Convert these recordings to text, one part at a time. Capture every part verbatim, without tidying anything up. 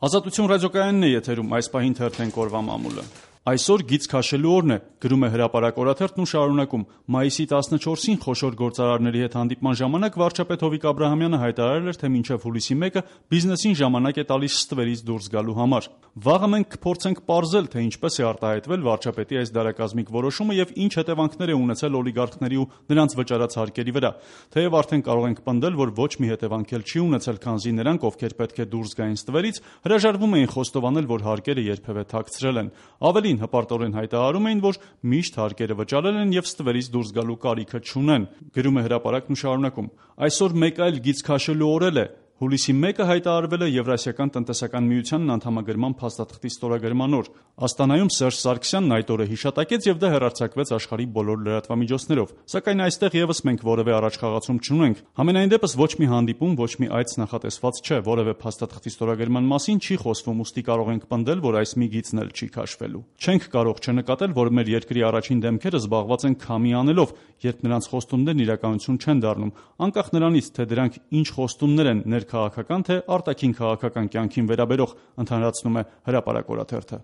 Ազատություն ռադիոկայանն է եթերում, այս պահին թերթենք օրվա մամուլը։ Այսօր գիծ քաշելու օրն է, գրում է Հրապարակ օրաթերթն ու շարունակում. մայիսի տասնչորսին խոշոր գործարարների հետ հանդիպման ժամանակ վարչապետ Հովիկ Աբրահամյանը հայտարարել էր, թե մինչև հուլիսի մեկը բիզնեսին ժամանակ է տալիս ստվերից դուրս գալու համար։ Վաղը մենք կփորձենք պարզել, թե ինչպես է արտահայտվել վարչապետի այս դարակազմիկ որոշումը եւ ինչ հետևանքներ է ունեցել օլիգարխների ու նրանց վճարած հարկերի վրա։ Թեև արդեն կարող ենք պնդել, որ ոչ մի հետևանք էլ չի ունեցել, քանզի նրանք, ովքեր պետք է դուրս գային ստվերից, հրաժարվում էին խոստովանել, որ հարկերը երբևէ թաքցրել են։ Ավելի հպարտորեն հայտարարում էին, որ միշտ հարկերը վճարել են եւ ստվերից դուրս գալու կարիքը չունեն։ Գրում է Հրապարակն ու շարունակում. այսօր մեկ այլ գիծ քաշելու օր է։ Հուլիսի մեկը հայտարարվել է Եվրասիական տնտեսական միությանն անդամագրման փաստաթղթի ստորագրման օր։ Աստանայում Սերժ Սարգսյանն այդ օրը հիշատակեց եւ դա հեռարձակվեց աշխարհի բոլոր լրատվամիջոցներով։ Սակայն այստեղ եւս մենք որևէ առաջխաղացում չունենք։ Համենայն դեպս ոչ մի հանդիպում, ոչ մի այց նախատեսված չէ, որևէ փաստաթղթի ստորագրման մասին չի խոսվում, ուստի կարող ենք պնդել, որ այս մի գիծն էլ չի քաշվելու։ Չենք կարող չնկատել, որ մեր երկրի առաջին դեմքերը զբաղված են քամի անելով, երբ նրանց խոստումներն իրականություն չեն դառնում, անկախ նրանից, թե դրանք ինչ խոստումներ են ներքաղաքական թե արտաքին քաղաքական կյանքին վերաբերող, ընդհանրացնում է Հրապարակ օրաթերթը։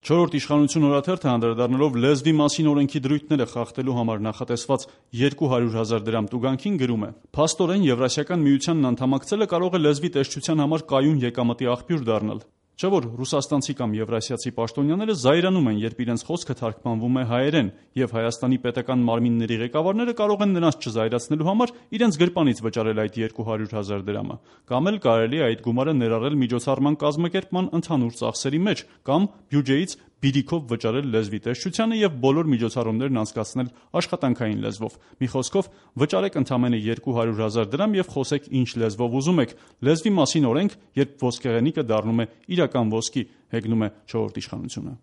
Չորրորդ իշխանություն օրաթերթը անդրադառնալով լեզվի մասին օրենքի դրույթները խախտելու համար նախատեսված երկու հարյուր հազար դրամ տուգանքին գրում է. փաստորեն Եվրասիական միությանն անդամակցելը կարող է լեզվի տեսչության համար կայուն եկամտի աղբյուր դառնալ։ Չէ՞ որ ռուսաստանցի կամ եվրասիացի պաշտոնյաները զայրանում են, երբ իրենց խոսքը թարգմանվում է հայերեն, եւ Հայաստանի պետական մարմինների ղեկավարները կարող են նրանց չզայրացնելու համար իրենց գրպանից վճարել այդ երկու հարյուր հազար դրամը, կամ էլ կարելի է այդ գումարը ներառել միջոցառման կազմակերպման ընդհանուր ծախսերի մեջ, կամ բյուջեից բիրիքով վճարել լեզվի տեսչությանը եւ բոլոր միջոցառումներն անցկացնել աշխատանքային լեզվով։ Մի խոսքով, վճարեք ընդամենը երկու հարյուր հազար դրամ եւ խոսեք ինչ լեզվով ուզում եք։ Լեզվի մասին օրենք, երբ ոսկեղենիկը դառնում է իրական ոսկի, հեգնում է չորրորդ իշխանությունը։